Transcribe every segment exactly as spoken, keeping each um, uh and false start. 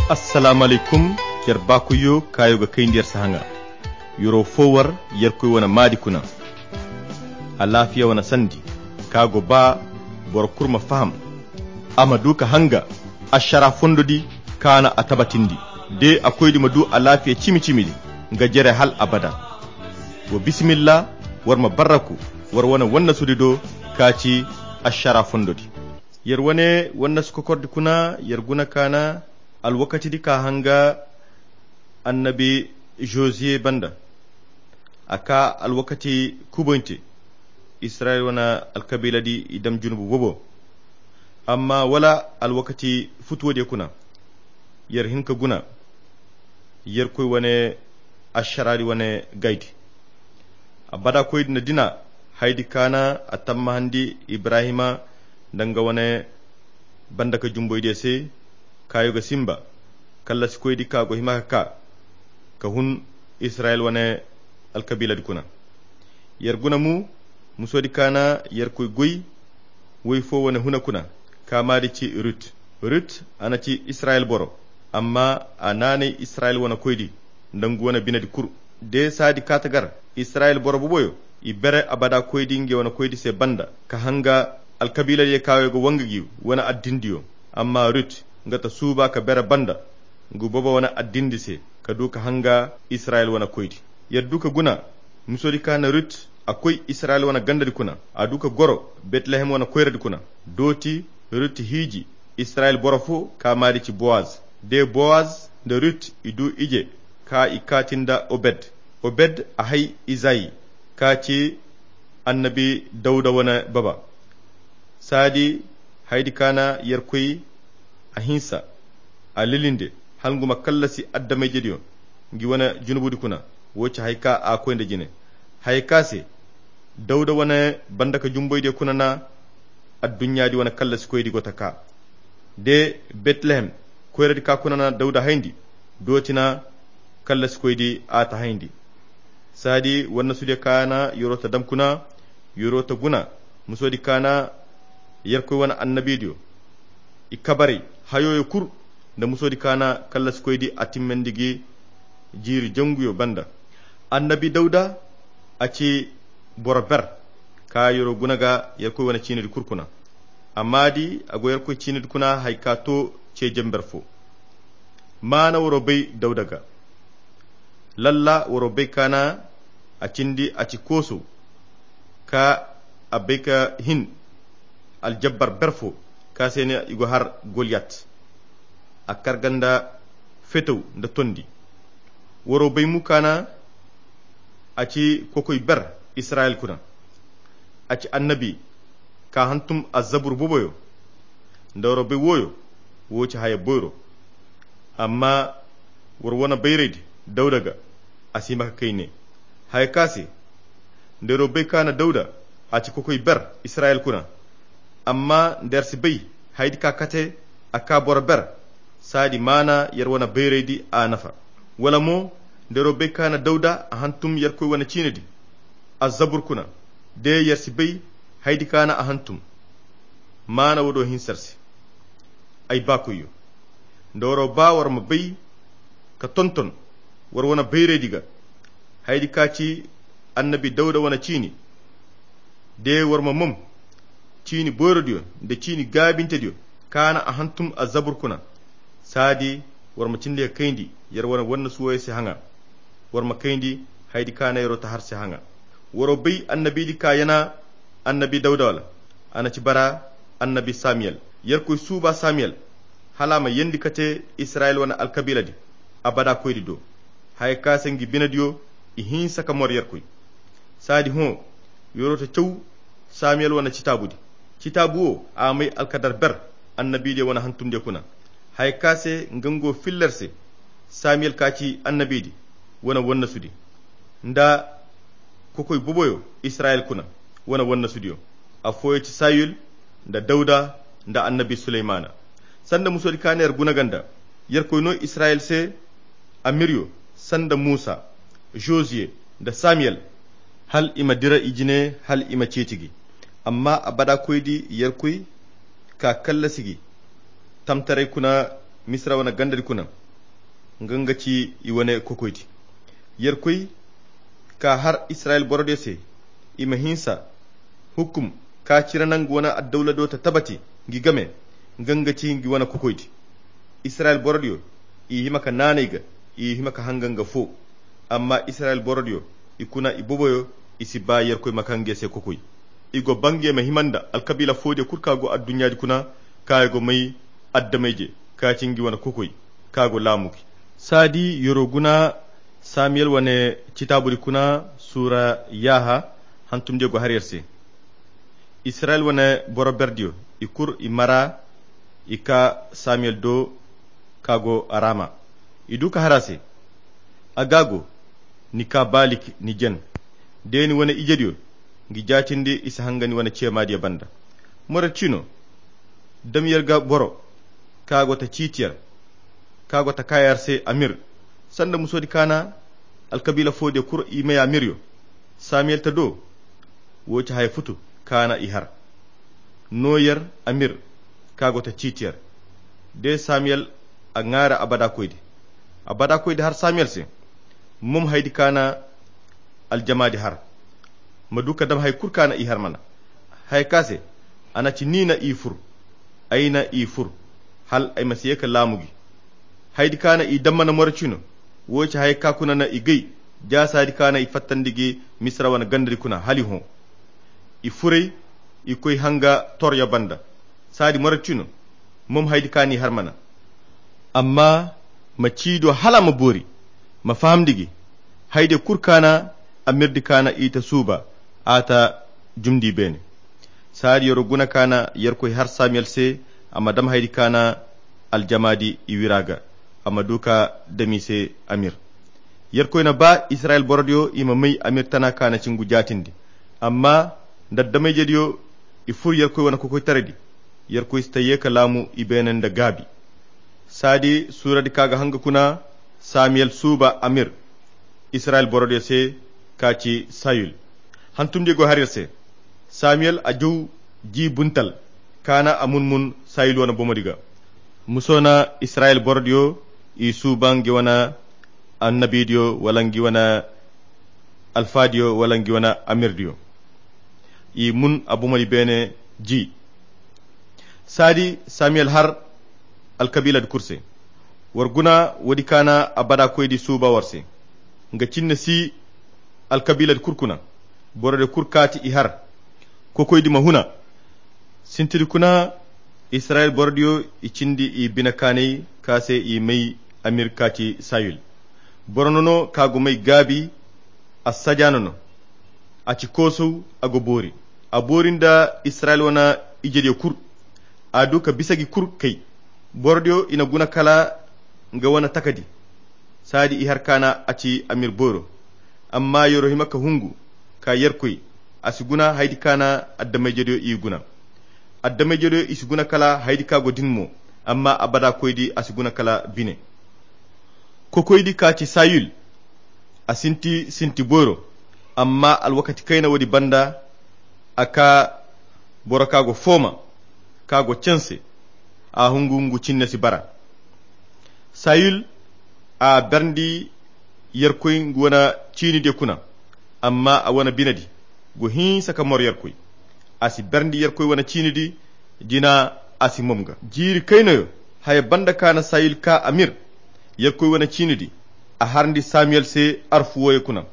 Assalaamu alaykum. Yer baakoyyo kaayo ga kayndi yer se haŋa. Yer'o foo war yerkoy wane maadi kuna. Alaafiya wane sandi ka go ba boro kul ma faham, a ma du ka hanga ašara fondodi ka na a tabatindi. De a koydi ma du alaafiya cimi-cimidi nga jere hal abada. Wa bisimilla, war ma barraku war wane wannasudi do ka ci ašara fondodi. Yer wane wannasu kokordi kuna yer guna ka na alwakatidi ka hanga annabi Joziye banda. A kaa alwakati kuboyante. Israyil wane alkabiiladi i dam junubu bobo. Amma wala alwakati futuwodiyo kuna yer hin ka guna yerkoy wane ašaraadi wane gaydi. Abada koydi na dina haydi ka na a tammahandi Ibrahima nda nga wane banda ka jumboydiyo se. Kaayo ga simba kallasikoydi ka go hima ka kaa ka hun Israyil wane alkabiiladi kuna. Yer guna mu musodi ka na yerkoy goy woy foo wane huna kuna. Ka maadi ci rut. Rut a na ci Israyil boro. Amma a naanay Israyil wane koydi nda ngu wane binedi kul. De saadi kaata gar Israyil boro boboyo i bere abada koydi nge wane koydi se banda ka hanga alkabiiladiyo kaayo ga wanga gi wane addindiyo. Amma rut nga ta suuba ka bere banda ngu bobo wane addindi se ka du ka hanga Israyil wane koydi. Yer du ka guna musodi ka na rut a koy Israyil wane gandadi kuna. A du ka goro betlehem wane koyradi kuna. Dooti rut hiiji Israyil boro foo ka maadi ci bowaz. De bowaz nda rut i du ije ka i kaati nda obed. Obed a hay izayi ka ci annabi dawda wane baba. Saadi haydi ka na yerkoy a hinsa a lilinde hal ngu ma kallasi adama-ijediyo ngi wane junubudi kuna. Woo ci haya ka a koy nda jine haya ka se dawda wane banda ka jumboydiyo kuna na adduɲɲaadi wane kallasikoydi go ta kaa. De betlehem koyradi ka kuna na dawda hayndi. Dooti na kallasikoydi a ta hayndi. Saadi wannasudiyo ka na yer'o ta dam kuna yer'o ta guna musodi ka na yerkoy wane annabidiyo i kabaray hayoyo kul nda musodi ka na kallasikoydi a timmandi gi jiiri janguyo banda. Annabi dawda a ci boro ber ka yer'o guna ga yerkoy wane ciinidi kul kuna. A maadi a go yerkoy ciinidi kuna haya ka too cee jamber foo. Maana war'o bay dawda ga. Lalla war'o bay ka na a cindi a ci kooso ka a bay ka hin aljabbar ber foo ka se ne i go har goliyat. A kar ga nda fetaw nda tondi. War'o bay mu ka na a ci kokoy ber israyil kuna. A ci annabi ka hantum azzabur boboyo nda war'o bay wooyo. Woo ci haya boyro. Amma war wane bayraydi dawda ga a si hima ka kay ne haya ka se. Nda yer'o bay ka na dawda a ci kokoy ber israyil kuna. Amma nda yer si bay hayadi ka kate a kaa boro ber. Saadi maana yer wane bayraydi a nafa. Wala mo nda yer'o bay ka na dawda a hantum yerkoy wane ciinedi azzabur kuna. De yer si bay hayadi ka na a hantum. Maana woo do hinsa yer se. Ay baakoyyo, nda war'o baa war ma bay ka tonton war wane bayraydi ga hayadi ka ci annabi dawda wane ciini. De war ma mom ciini boyrodiyo nda ciini gaabintediyo ka na a hantum azzabur kuna. Saadi war ma cindi ka kayndi yer wane wannasu wooyo se haŋa. War ma kayndi hayadi ka na yer'o ta har se haŋa. War'o bay annabidi ka yana annabi dawda wala? A na ci bara annabi samiyel. Yerkoy suuba samiyel hala a ma yeendi kate israyil wane alkabiiladi abada koydi do. Haya ka se ngi binediyo i hinsa ka mor yerkoy. Saadi hõ yer'o ta caw samiyel wane citaabudi. Citaabu woo a may alkadar ber annabidiyo wane hantumdiyo kuna. Haya ka se nga ngu filla yer se samiyel ka ci annabidi wane wannasudi nda kokoy boboyo israyil kuna wane wannasudiyo. Affooyo ci sayul nda dawda nda annabi suleymaana. Sanda musodi ka na yer guna ga nda yerkoy noo israyil se amiryo sanda musa, joziye nda samiyel hal i ma dira i jine hal i ma ceeci gi. Amma abada koydi yerkoy ka kallasi gi tamtaray kuna misira wane gandadi kuna. nga nga ci i wane kokoydi. Yerkoy ka har Israyil borodiyo se, i ma hinsa hukum ka cire nangu wane addawla do ta tabati ngi game, nga nga ci ngi wane kokoydi. Israyil borodiyo i hima ka naanay ga, i hima ka hanga nga fo. Amma Israyil borodiyo i kuna i boboyo, i si ba Yerkoy ma ka nge se kokoy. I go ba nge ma hima nda alkabiila foodiyo kulu ka go adduɲɲaadi kuna, ka i go may addamayje ka ci ngi wane kokoy, ka go laamu gi. Saadi yoro guna samiyel wane citaabudi kuna, suura yaaha hantumdiyo go har yer se. Israyil wane boro berdiyo i kur i mara, i ka samiyel do ka go a raama. I du ka har a se, a ga go ni ka baalik ni jen, de ni wane ijediyo ngi jaatindi i si hanga ni wane ceemaadiyo banda. Moret cino, dam yer ga boro ka go ta ciiti yer, ka go ta kaayar se amir, sanda musoodi kaana alkabiila foodiyo kuro i may amiryo. Samiyel ta do, wo ci haya futu kaana i har. No yer amir ka go ta ciiti yer. De samiyel a ŋaara abada koydi. Abada koydi har samiyel se, mom haydi kaana aljamaadi har, ma du ka dam hay kulu kaana i har mana. Haya ka se a na ci ni na i fur, ay na i fur, hal ay ma si ye ka laamu gi. Haydi kaana i dam mana moro cino, wo ci haya ka kuna na i gay. Jaasaadi kaana i fattandi gi misira wane gandadi kuna hal i hõ. I furay, i koy hanga toryo banda. Saadi moro cino, mom haydi kaana i har mana. Amma ma ciido hala ma boori, ma fahamndi gi. Hayde kulu kaana amirdi kaana i ta suuba, a ta jumndi beene. Saadi yoro guna kaana yerkoy har samiyel se, a ma dam haydi kaana aljamaadi i wira ga, a ma du ka dam i se amir. Yerkoy na ba israyil borodiyo i ma may amir tana kaana cingu jaatindi. Amma nda addamayjediyo i fur yerkoy wane kokoytaraydi, yerkoy si ta ye ka laamu i beene nda gaabi. Saadi suuradi ka ga hanga kuna, samiyel suuba amir israyil borodiyo se, ka ci sayul. Hantumdiyo go har yer se. Samiyel a jaw ji buntal, kaana a mun-mun sayul wane bomodi ga. Muso na israyil borodiyo i suuba ngi wane annabidiyo wala ngi wane alfaadiyo wala ngi wane amirdiyo. I mun a bomodi beene ji. Saadi samiyel har alkabiiladi kulu se. War guna woodi kaana abada koydi suuba war se. Nga cinne si alkabiiladi kulu kuna. Borodiyo kulu kaati i har. Kokoydi ma huna. Sintidi kuna, israyil borodiyo i cindi i bine kaanay ka se i may amir kaati sayul. Boro no no ka go may gaabi. A sajaano no. A ci koosow, a go boori. A boori nda israyil wane ijediyo kulu. A du ka bisa gi kulu kay. Borodiyo i na guna kala nga wane takadi. Saadi i har kaana a ci amir booro. Amma yoro hima ka hungu ka yerkoy, a si guna haydi kaana addamayjediyo i guna. Addamayjediyo i si guna kala haydi ka go din mo. Amma abada koydi a si guna kala bine. Kokoydi ka ci sayul, a sinti sinti booro. Amma alwakati kayna woodi banda, a ka boro ka go fooma, ka go canse. A hungu ngu cinne si bara. Sayul a berndi yerkoy ngu wane ciinidiyo kuna. Amma a wane binedi go hinsa ka mor yerkoy. A si berndi yerkoy wane ciinidi. Jina a si mom ga jiiri kaynayo. Haya banda kaana sayil ka amir yerkoy wane ciinidi, a harndi samiyel se arfu wooyo kuna.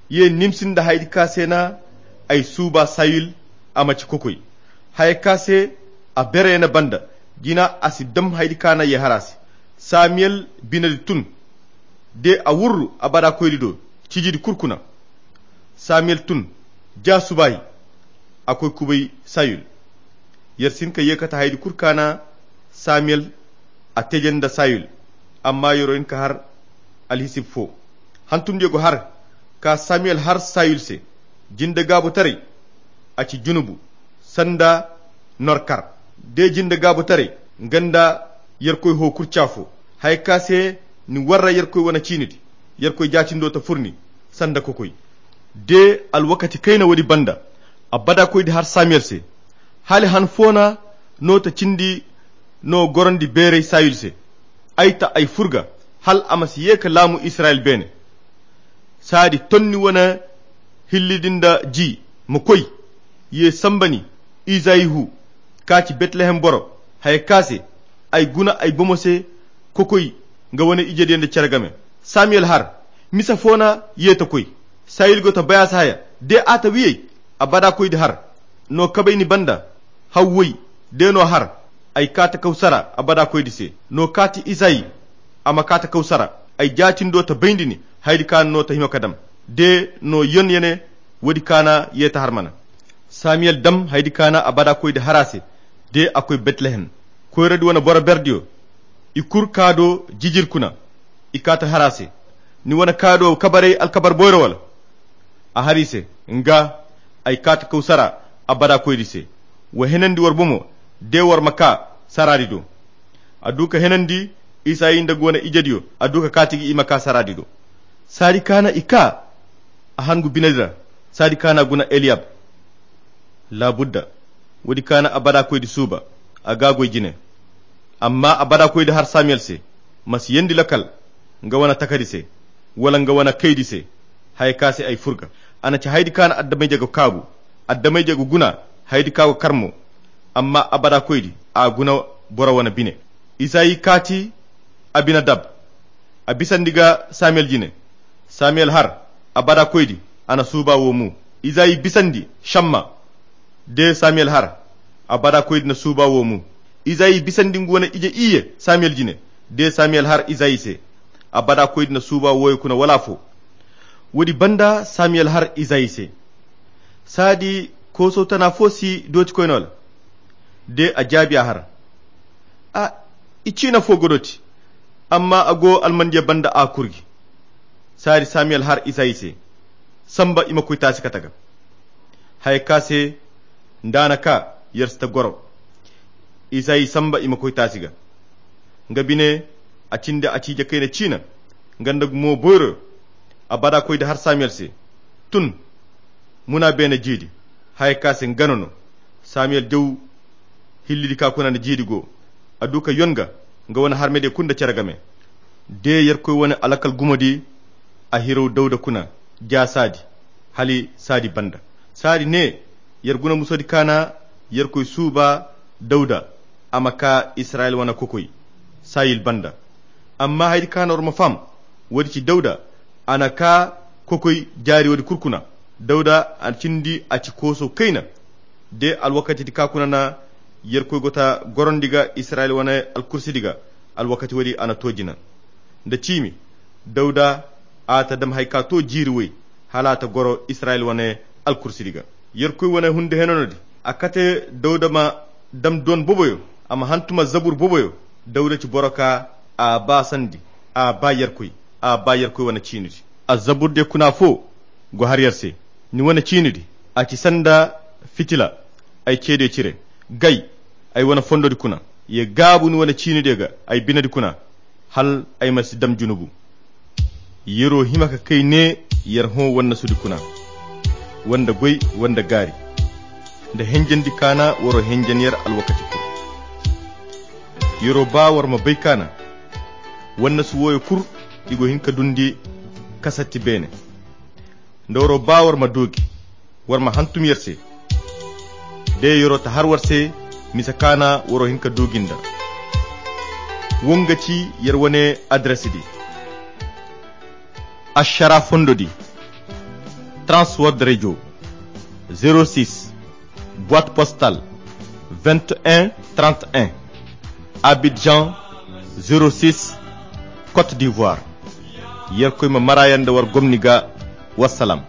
Ye nimsi nda haydi ka se na ay suuba sayil, a ma ci kokoy. Haya ka se a bereene banda, jina a si dam haydi kaana ye har a se. Samiyel binedi tun. De a wurru abada koydi do cijidi kulu kuna. Samiyel tun ja subaahi. A koy kubay sayul. Yer si hin ka ye kate haydi kulu kaana samiyel a teje nda sayul. Amma yero hin ka har alhisib fo. Hantumdiyo go har ka samiyel har sayul se. Jinde gaabotaray a ci junubu sanda norkar. De jinde gaabotaray nga nda yerkoy hookurca fo. Haya ka se ni warra yerkoy wane ciinidi, yerkoy jaatindo ta fur ni sanda kokoy. De alwakati kayna woodi banda, abada koydi har samiyel se. Hali han foona no ta cindi no gorondi beeray sayul se. Ay ta ay fur ga. hal a ma si ye ka laamu Israyil beene. Saadi ton ni wane hilli din da ji ma koy, ye samba ni, Izayi hu, ka ci Betlehem boro, haya ka se ay guna ay bomo se kokoy nga wane ijediyo nda cere game. Samiyel har, misa fo na ye ta koy. Sayil go ta bay a se haya, de a ta wiyey, abada koydi har no kabay ni banda. Hawway, de no har ay ka ta kaw sara abada koydi se. No ka ti Izayi, a ma ka ta kaw sara. Ay jaatindo ta bayndi ni haydi ka no ta hima ka dam. De no yon yene, woodi ka na ye ta har mana. Samiyel dam haydi ka na abada koydi har a se. De a koy Betlehem, koyradi wane boro berdiyo, i kur ka do jijir kuna. I ka ta har a se, ni wane ka do kabarey alkabar boyro wala? A har i se, nga, ay ka ta kaw sara abada koydi se. Wa henandi war bomo, de war ma ka saraadi do. A du ka henandi Isayi nda nga wane ijediyo, a du ka kaati ga i ma ka saraadi do. Saadi ka na i ka, a hangu binedi ra. Saadi ka na guna Eliyab. Laabudda, woodi ka na abada koydi suuba, a ga goy jine. Amma abada koydi har Samiyel se, ma si yeendi lakal nga wane takadi se, wala nga wane kaydi se, haya ka se ay furga. A na ci haydi ka na addamayje ga kaabu, addamayje ga guna haydi ka go kar mo. Amma abada koydi a guna boro wane bine. Isayi kaati Abinadab, a bisandi ga Samiyel jine. Samiyel har, abada koydi, a na suuba wo mu. Isayi bisandi Shamma, de Samiyel har, abada koydi na suuba wo mu. Isayi bisandi nga wane ije iyye Samiyel jine, de Samiyel har Isayi se, abada koydi na suuba wooyo kuna wala afo. Woodi banda Samiyel har Isayi se, saadi kooso tana fo si dooti koyne wala? De a jaabi a har, a, i ciina fo ga dooti, amma a go almandiya banda a kurgi. Saadi Samiyel har Isayi se, samba i ma koy taasi kate ga. Haya ka se nda a na ka, yer si ta goro. Isayi samba i ma koy taasi ga. Nga bine, a cindi a ciije kayna ciina, nga nda gumo boyro. Abada koydi har Samiyel se, tun muna beene jiidi. Haya ka se nga no no. Samiyel jaw hillidi ka kuna nda jiidi go. A du ka yon ga nga wane harmediyo kulu nda cere game. De yerkoy wane alakal gumodi, a hiraw Dawda kuna ja saadi, hali saadi banda. Saadi ne, yer guna musodi ka na yerkoy suuba Dawda, a ma ka Israyil wane kokoy Sayil banda. Amma haydi ka na war ma faham, woodi ci Dawda, a na ka kokoy jaari woodi kulu kuna. Dawda a cindi a ci kooso kayna. De alwakatidi ka kuna na yerkoy go ta gorondi ga Israyil wane alkursidi ga, alwakati woodi a na to jina nda ciimi. Dawda a ta dam hay ka to jiiri woy, hala a ta goro Israyil wane alkursidi ga. Yerkoy wane hunde henanodi, a kate Dawda ma dam doon boboyo, a ma hantuma zabur boboyo. Dawda ci boro ka a ba sandi, a ba yerkoy, a ba yerkoy wane ciinidi. A zaburdiyo kuna fo go har yer se. Ni wane ciinidi, a ci sanda fitila ay ceediyo cire. Gay, ay wane fondodi kuna, ye gaabu ni wane ciinidiyo ga ay binedi kuna, hal ay ma si dam junubu. Yer'o hima ka kay ne yer hõ wannasudi kuna, wanda goy, wanda gaari, nda henjendi ka na war'o henjen yer alwakati kul. Yer'o ba war ma bay ka na wannasu wooyo kul, i go hin ka dundi kasatti beene. Nda war'o ba war ma doogi, war ma hantum yer se. De yer'o ta har war se, misa ka na war'o hin ka doogi nda. Wo nga ci yer wane adresdi. Ašara fondodi, Trans World Radio, zéro six, boîte postale vingt et un trente et un, Abidjan, zéro six, Côte d'Ivoire. Yerkoy ma mara yer nda war gomni ga. Wassalam.